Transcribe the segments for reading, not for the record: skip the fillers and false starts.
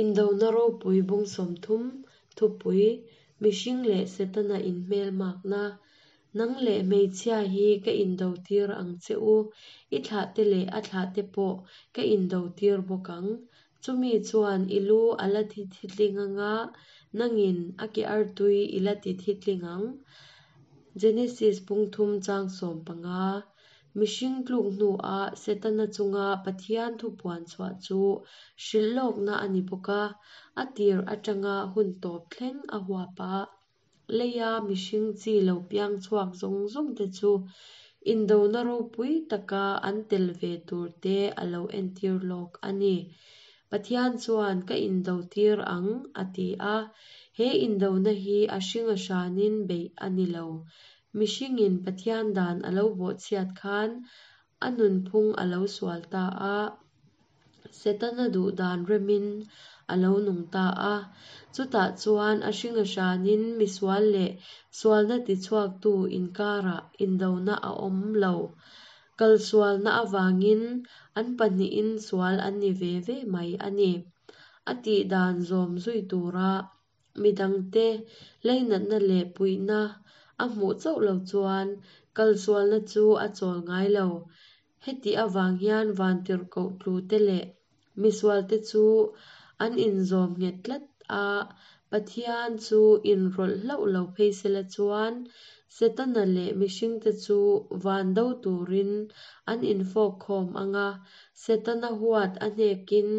Indona ropui bung 30, Thupui, Mihring leh Setana inhmelmakna, Nang leh hmeichhia hi ka indotir ang che u, i thlahte leh a thlahte pawh ka indotir bawk ang. Chumi chuan i lu a la thi thitling anga, nangin a ke artui i la ti thitling ang. Genesis bung thum chang 15. Mihring tluk hnua Setana chunga Pathian thu puan chhuah chu hrilh lawkna a ni bawk a, a tir atanga hun tawp thleng a huap a. Leia mihring chi lo piang chhuak zawng zawng te chu indona ropui taka an tel ve tur te a lo entir lawk a ni. Pathian chuan ka indotir ang a ti a, he indona hi a hring a hranin beih a ni lo. Mihringin Pathian dan a lo bawhchhiat khan a nunphung a lo sual ta a, Setana duh dan remin a lo nung ta a. Chutah chuan a hring a hranin misual leh sualna tichhuaktu inkarah indona a awm lo. Kalsualna avangin an pahnihin sual an ni ve ve mai a ni. A tih dan zawm zui tura midangte leinatna leh puihna a hmuh chauh lo chuan kalsualna chu a chawl ngai lo. Heti avang hian vantirhkoh tlute leh misualte chu an inzawm nghet tlat a, Pathian chu inrawlh hlauh lo phei sela chuan Setana leh mihringte chu van do turin an infawk khawm ang a, Setana huat a hnekin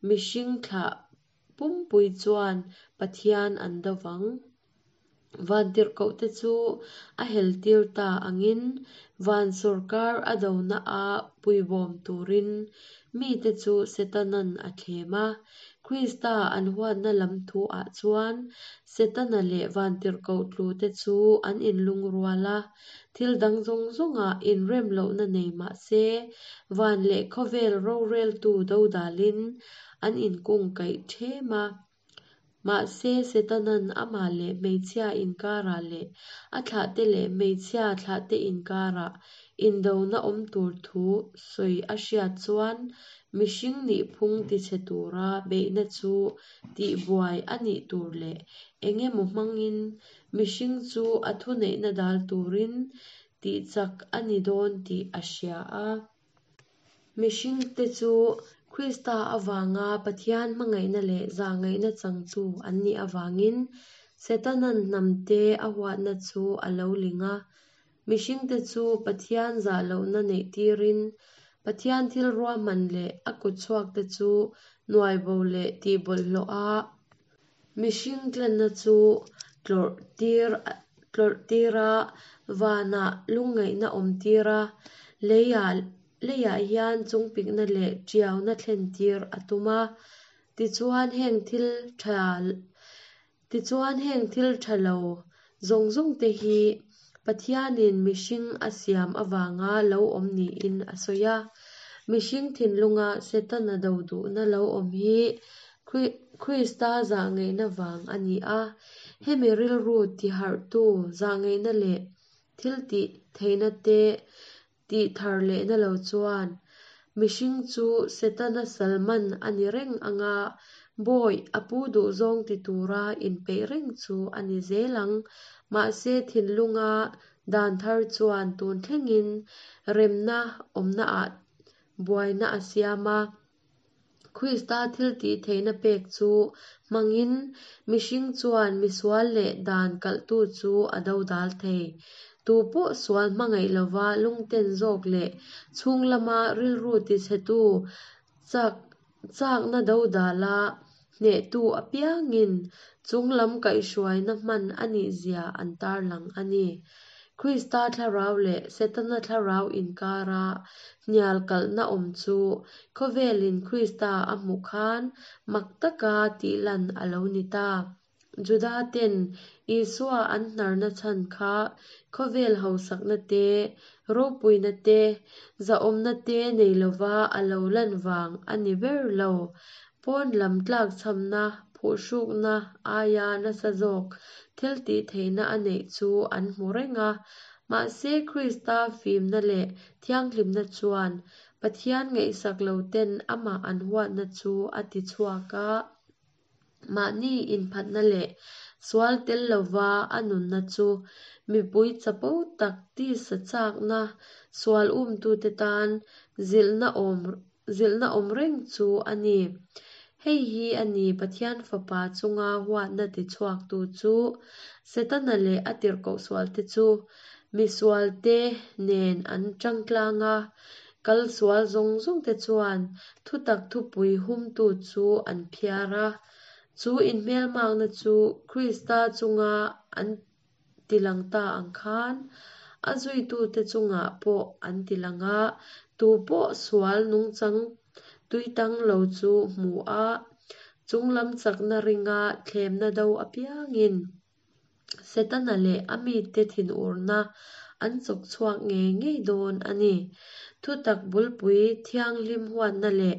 mihring thlah pumpui chuan Pathian an do vang. Vantirhkohte chu a heltir ta angin van sawrkar a dona a puibawm turin mite chu Setanan a thlem a. Krista an huatna lam thu ah chuan Setana leh vantirhkoh tlute chu an inlungrual a, thil dang zawng zawngah inrem lohna nei mah se van leh khawvel roreltu dodalin an inkungkaih ṭhem a. Mahse, Setanan amah leh hmeichhia inkarah leh a thlahte leh hmeichhia thlahte inkarah indona awm tur thu sawi a hriat chuan mihring nihphung tichhe tura beihna chu tihbuai a nih tur leh eng emaw hmangin mihring chu a thuneihna dal turin tihchak a ni dawn tih a hria a. Mihringte chu Krista avanga Pathian hmangaihna leh zahngaihna changtu an nih avangin Setana'n hnamte a huatna chu a lo ling a. Mihringte chu Pathian zah lohna neihtirin Pathian thil ruahman leh a kutchhuakte chu nuaibo leh tihbawlhhlawh a Mihring tlanna chu tlawrhtir tlawrhtir a, vanah lungngaihna awmtir a, leiah leiah hian chungpikna leh tiauna thlentir a tum a. Tichuan heng thil tha tichuan heng thil tha lo zawng zawng te hi Pathianin mihring a siam avanga lo awm niin a sawi a. Mihring thinlunga Setana do duhna lo awm hi Krista zahngaihna vang a ni a, hemi rilru tiharhtu zahngaihna leh thil tih theihna te tih thar lehna lo chuan mihring chu Setana salman a ni reng anga bawi a pu duhzawng ti tura inpeih reng chu a ni zel ang. Mahse thinlunga dan thar chuan tun thlengin remna awmnaah buaina a siam a. Krista thiltih theihna pek chu hmangin mihring chuan misual leh dan kalhtu chu a dodal thei. Tu pawh sual hmangaih lova lungten zawk leh chhung lama rilru tichhetu chak chakna dodala hnehtu apiangin chung lam kaihhruaina hman a nih zia an tarlang a ni. Krista thlarau leh Setana thlarau inkara hnial kalhna awm chu khawvelin Krista a hmuh khan mak taka tihlan a lo ni ta. Juda ten Isua an hnarna chhan kha khawvel hausakna te, ropuina te, zahawmna te nei lova a lo lan vang a ni ber lo. Pawn lam tlakchhamna, phuhrukna aia nasa zawk thil tih theihna a neih chu an hmu reng a. Mahse Krista fimna leh thianghlimna chuan Pathian ngaihsak lo ten amah an huatna chu a ti chhuak a. Mahni inphatna leh sual tel lova a nunna chu mipui chapo tak tisa chakna sual umtute tan zilhna awm zilhna awm reng chu a ni. Hei hi a ni Pathian Fapa chunga huatna tichhuaktu chu. Setana leh a tirhkoh sualte chu misualte nen an tangtlang a, kal sual zawng zawngte chuan thutak thupui humtu chu an phiar a. Chu inhmelmakna chu Krista chunga an tilang ta ang khan a zuitute chungah pawh an tilang a, tu pawh sual nungchang tuitang lo chu hmu a, chunglam chakna ringa thlemna do apiangin Setana leh a mite thinurna an chawk chhuak ngei ngei dawn a ni. Thutak bulpui thianghlim huatna leh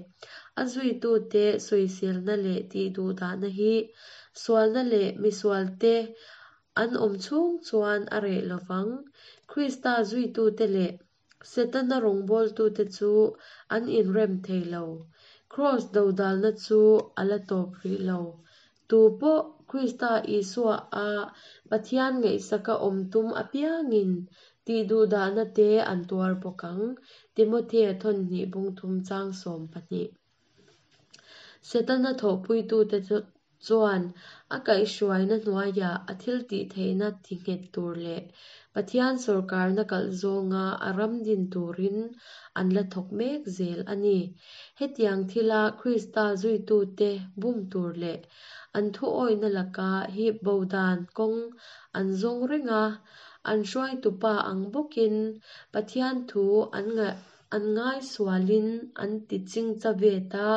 a zuitute sawiselna leh tihduhdahna hi sualna leh misualte an awm chhung chuan a reh lovang. Krista zuitute leh Setana rawngbawltute chu an inrem thei lo. Kraws dodalna chu a la tawp rih lo. Tu pawh Krista Isua a Pathian ngaihsaka awm tum apiangin tihduhdahna te an tuar bawk ang, Timothea thawnhnih bungthum chang 12. Setana thawhpuitute chuan a kaihhruaina hnuaiah a thiltihtheihna tinghet tur leh Pathian sawrkarna kalh zawnga a ram din turin an la thawk mek zel a ni. Hetiang thila Krista zuitute bum tur leh an thuawihna laka hip bo dan kawng an zawng reng a, an hruaitupa ang bawkin Pathian thu an an ngai sualin an ti chingcha ve ta.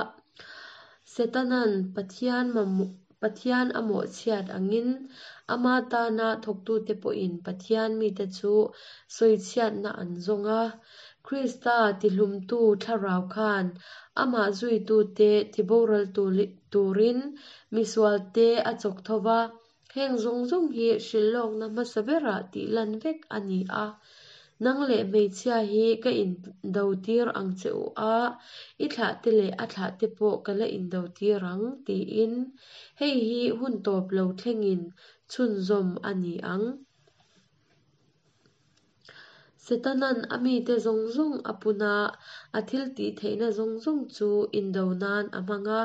Setanan Pathian mamawh Pathian a mawhchhiat angin ama tana thawktute pawhin Pathian mite chu sawichhiatna an zawng a. Krista tihlumtu thlarau khan amah zuitute tiboral turin misualte a chawk tho va. Heng zawng zawng hi hrilhlawkna hmasa berah tih lan vek a ni a. Nang leh hmeichhia hi ka indotir ang che u a, i thlahte leh a thlahte pawh ka la indotir ang, tiin. Hei hi hun tawp lo thlengin chhunzawm a ni ang. Setanan a mite zawng zawng a pun a, a thil tih theihna zawng zawng chu indo nan a hmang a.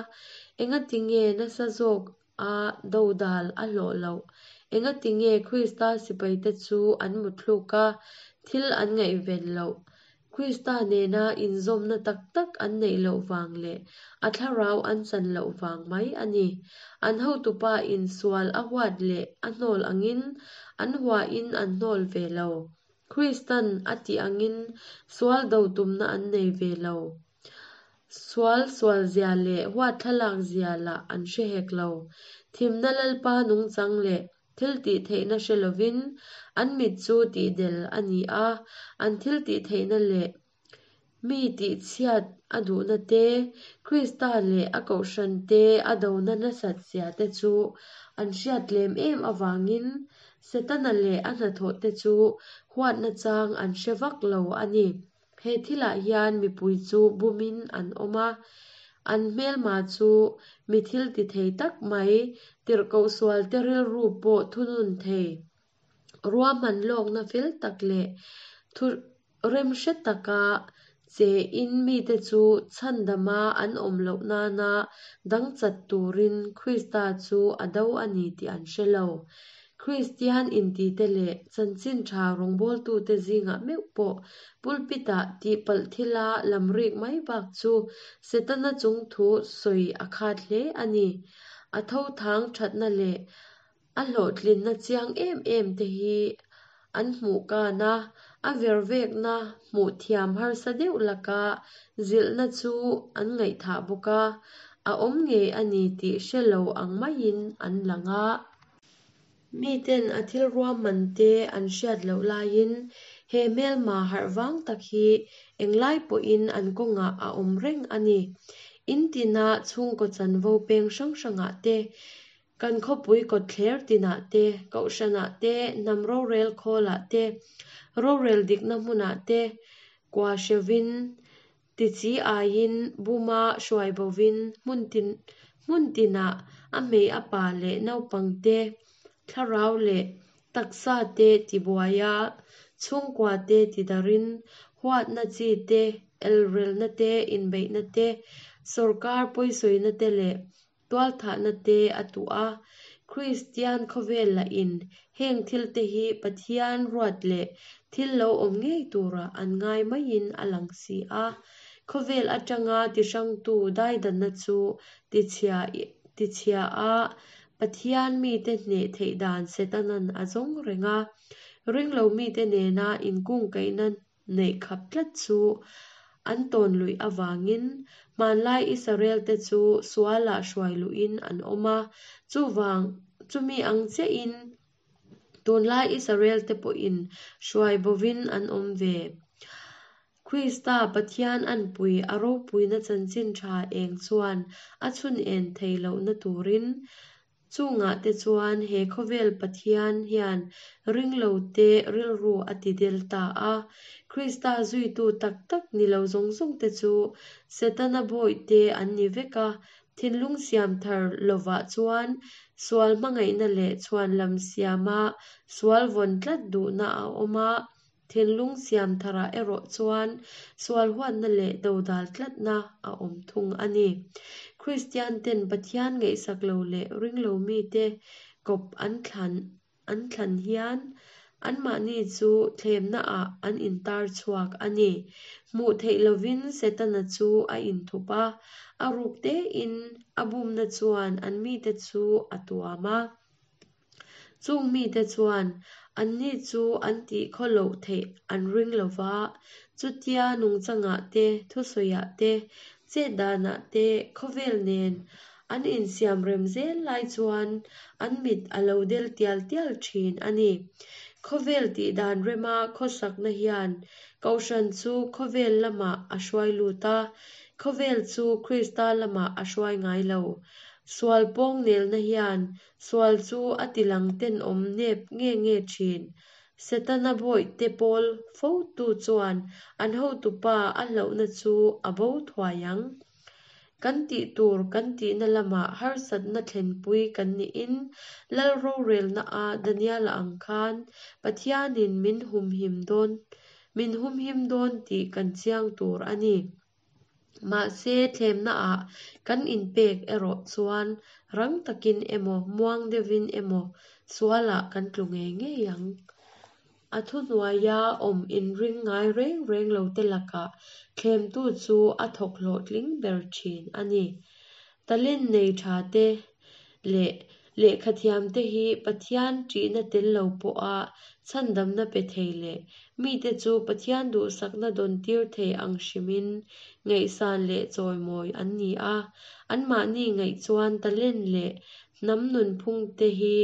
Engatinge nasa zawk a dodal a hlawh loh? Engatinge Krista sipaite chu an mutthluk a, thil an ngaihven loh? Krista nena inzawmna tak tak an neih loh vang leh a thlarau an chan loh vang mai a ni. An hotupa in sual a huat leh a hnawl angin an huahin an hnawl ve lo. Kristan a tih angin sual do tumna an nei ve lo. Sual sualzia leh huat thlalakzia lah an hre hek lo. Thimna Lalpa nungchang leh thil tih theihna hre lovin an mit chu tihdel a ni a, an thil tih theihna leh mi tihchhiat a duhna te, Krista leh a kohhran te a dona nasat zia te chu an hriat lem em avangin Setana leh a hnathawh te chu huatna chang an hre vak lo a ni. He thilah hian mipui chu bumin an awm a, an hmelma chu mi thil ti thei tak mai, tirhkoh sualte rilru pawh thunun thei, ruahman lawkna fel tak leh thu remhre taka che in mite chu chhandama an awm loh nana dang chat turin Krista chu a do a ni tih an hre lo. Kristian intite leh chanchin tha rawngbawltute zingah meuh pawh pulpit-ah tihpalh thila lam rik mai bak chu Setana chung thu sawi a khat hle a ni. A thothang thatna leh a hlawhtlinna chiang em em te hi an hmuh kan a, a vervekna hmuh thiam harsa deuh laka zilhna chu an ngaihthah bawk a, a awm ngei a ni tih hre lo ang maiin an lang a. Miten a thil ruahman te an hriat loh laiin he hmelma harh vang tak hi englai pawhin an kawngah a awm reng a ni. In tina chhungkaw chanvo peng hrang hrangah te, kan khawpui kawtthler tinah te, kohhranah te, hnam rorel khawlah te, rorel dikna hmunah te kua hrevin Tichi aiin buma hruai bovin hmun tin hmun tinah A hmei a pa leh naupangte thlarau leh taksa te tibuai a, chhungkua te tidarhin huatna chi te, elrelna te, inbeihna te, sawrkar pawisawina te leh tualthahna te a tuh a. Kristian khawvel lahin heng thilte hi Pathian ruat leh thil lo awm ngei turah an ngai maiin a lang si a. Khawvel atanga tihrangtu daidanna chu tichhia a, Pathian mite hneh theih dan Setanan a zawng reng a. Ringlo mite nena inkungkaihna neih khap tlat chu an tawn luih avangin hmanlai Israelte chu sualah hruai luhin an awm a, chuvang chumi ang chiahin tunlai Israelte pawhin hruai bovin an awm ve. Krista Pathian anpui a ropuina chanchin tha eng chuan a chhun en thei lohna turin Chungah te chuan he khawvel Pathian hian ringlote rilru a ti del ta a. Krista zuitu tak tak ni lo zawng zawng te chu Setana bawihte an ni vek a. Thinlung siam thar lovah chuan sual hmangaihna leh chhuanlam siama sual vawn tlat duhna a awm a. Thinlung siam tharah erawh chuan sual huatna leh dodal tlatna a awm thung a ni. Kristian ten Pathian ngaihsak lo leh ringlo mite kawp an thlan an thlan hian anmahni chu thlemna ah an intar chhuak a ni. Hmuh theih lovin Setana chu a inthup a, a ruk tein a bumna chuan an mite chu a tuam a. Chung mite chuan anni chu an tih khaw loh theih an ring lo va, chutia nungchangah te, thusawiah te, chet danah te khawvel nen an insiam rem zel lai chuan an mit a lo del tial tial thin a ni. Khawvel tih dan rema khawsakna hian Kohhran chu khawvel lamah a hruai lut a, khawvel chu Krista lamah a hruai ngai lo. Sual pawng nelna hian Sual chu a tilang tenawm nep nge nge thin. Setana bawihte pawl fotu chuan an hotupa a hlauhna chu a bo thuai ang. Kan tih tur kan tihna lamah harsatna thlenpui kan nihin Lal rorelna a Daniela ang khan Pathianin min humhim dawn min humhim dawn tih kan chiang tur a ni. Mahse, thlemnaah kan inpek erawh chuan rang takin emaw, muang deuhin emaw sualah kan tlu ngei ngei ang. A thuhnuaia awm inring ngai reng reng lote lakah thlemtu chu a thawk hlawhtling ber thin a ni. Talent nei tha te leh lehkhathiamte hi Pathian ṭihna tel lo pawha chhandamna pe thei leh mite chu Pathian duhsakna dawntir thei ang hrimin ngaihsan leh chawimawi an ni a. Anmahni ngaih chuan talent leh hnam nunphungte hi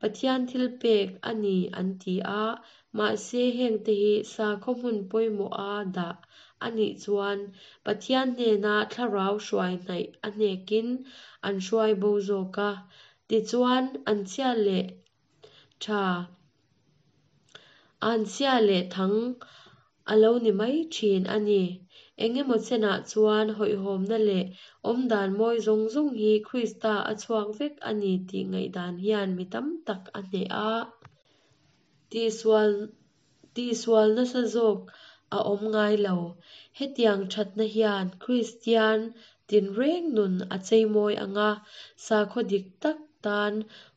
Pathian thilpek a ni an ti a, Mahse hengte hi sakhaw hmun pawimawha dah a nih chuan Pathian hnena thlarau hruai hnaih a hnekin an hruai bo zawk a. Tichuan, an chhia leh tha, an chhia leh thang a lo ni mai thin a ni. Engemaw chenah chuan hawihhawmna leh awmdan mawi zawng zawng hi Krista a chhuak vek a ni tih ngaihdan hian mi tam tak a hneh a. Tihsual tihsual nasa zawk a awm ngai lo. Hetiang thatna hian Kristian tinreng nun a cheimawi ang a, sakhaw dik tak tan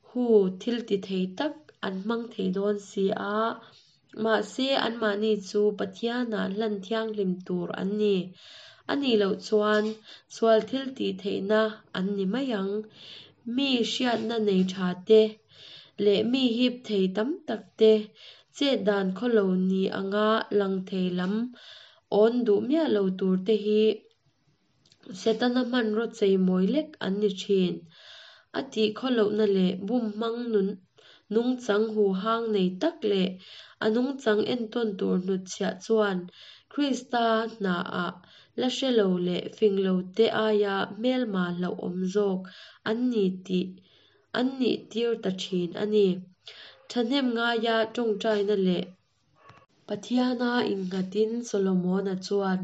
hu thil ti thei tak an hmang thei dawn si a. Mahse, anmahni chu Pathianah hlan thianghlim tur an ni. A nih loh chuan sual thil tih theihna an ni mai ang. Mi hriatna nei tha te leh mi hip thei tam tak te chet dan khawlo ni anga lang thei lam awn duh miah lo tur te hi Setana hmanraw cheimawi lek an ni thin. A tih khawlohna leh bum hmang nun nungchang huhang nei tak leh a nungchang entawn tur hnutchhiah chuan Krista hnaah la hre lo leh fing lo te aia hmelma hlauhawm zawk an ni tih an nih tir ta thin a ni. Thahnem ngaia tawngtaina leh Pathiana innghatin Solomona chuan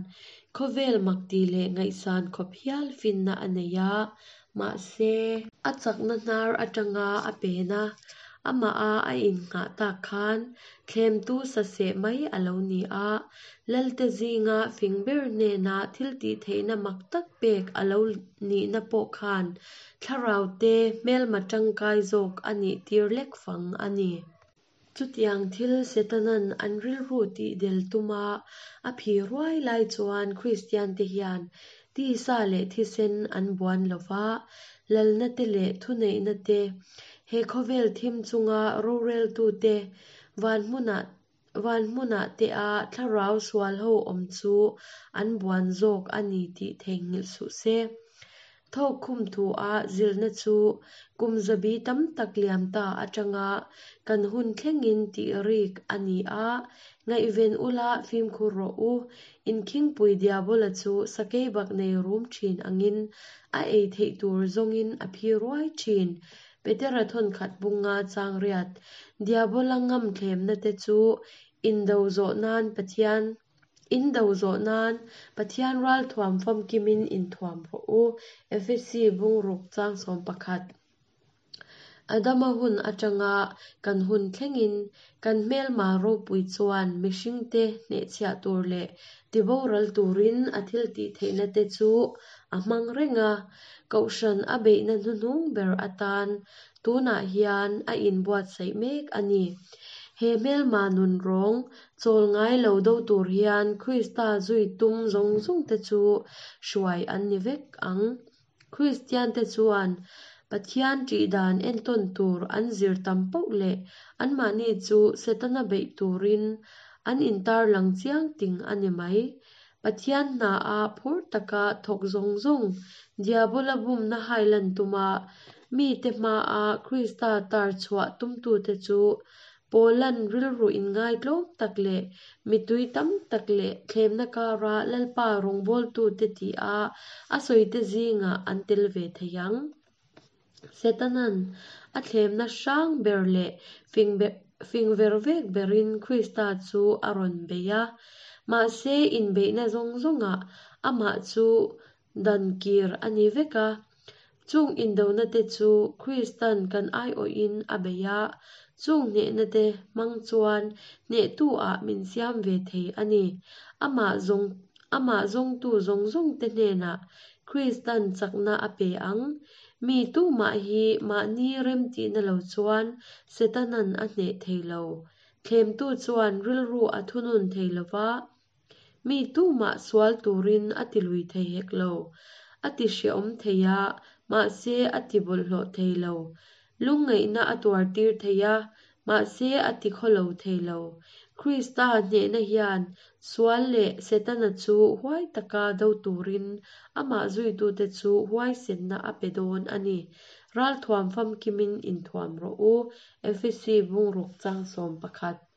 khawvel makti leh ngaihsan khawp hial finna a nei a, mahse. A chakna hnar atanga a pen a, amaha a innghah tak khan thlemtu saseh mai a lo ni a, Lalte zinga fing ber hnena thiltihtheihna mak tak pek a lo nihna pawh khan thlaraute hmelma tangkai zawk a nih tir lek fang a ni. Chutiang thil Setanan an rilru tih del tuma a phi ruai lai chuan Kristiante hian tisa leh thisen an buan lo va, lalna te leh thuneihna te, he khawvel thim chunga roreltute, van hmunah van hmunah te a thlarau sual ho awm chu an buan zawk a ni tih theihnghilh suh se. Thawk khum thu a zilhna chu kum zabi tam tak liam ta atanga kan hun thlengin tih rik a ni a, ngaihven ula fimkhur rawh u, inkhingpui diabola chu sakeibak nei rum thin angin a ei theih tur zawngin a phi ruai thin. Petera thawnkhat bunga chang riat diabola ngam thlemna te chu indo zawh nan Pathian In do zawh nan Pathian ralthuam famkimin inthuam rawh u, Efesi bungruk chang 11. Adama hun atanga kan hun thlengin kan hmelma ropui chuan mihringte hnehchhiah tur leh tiboral turin a thiltih theihna te chu a hmang reng a, Kohhran a beihna hnuhnung ber atan tunah hian a inbuatsaih mek a ni. He hmelma nun rawng Chawl ngai lo do tur hian Krista zui tum zawng zawng te chu hruai an ni vek ang. Kristian te chuan Pathian ṭih dan entawn tur an zir tam poh leh anmahni chu Setana beih turin an intarlang chiang ting a ni mai. Pathian hna a phur taka thawk zawng zawng Diabola bumna hailan tuma mite hmaa Krista tar chhuah tumtute chu Paula'n rilru inngaitlawm tak leh mitui tam tak leh thlemna kara Lalpa rawngbawltute tih a a sawite zingah an tel ve thei ang. Setana'n a thlemna hrang ber leh fing ver vek berin Krista chu a rawn bei a. Mahse inbeihna zawng zawngah amah chu dan kir a ni vek a. Chung indona te chu Kristan kan aiawhin a bei a, chung hnehna te hmang chuan hnehtu ah min siam ve thei a ni. Amah zawng amah zawngtu zawng zawng te hnenah Kristan chakna a pe ang. Mi tumah hi mahni remtihna lo chuan Setanan a hneh thei lo. Thlemtu chuan rilru a thunun thei lova, Mi tumah sual turin a ti lui thei hek lo. A ti hreawm thei a, mahse a ti bawlhhlawh thei lo. Lungngaihna a tuar tir thei a, mahse a ti khawlo thei lo. Krista hnehna hian sual leh Setana chu huai taka do turin amah zuitute chu huaisenna a pe dawn a ni. Ralthuam famkimin inthuam rawh u, Efesi bungruk chang 11.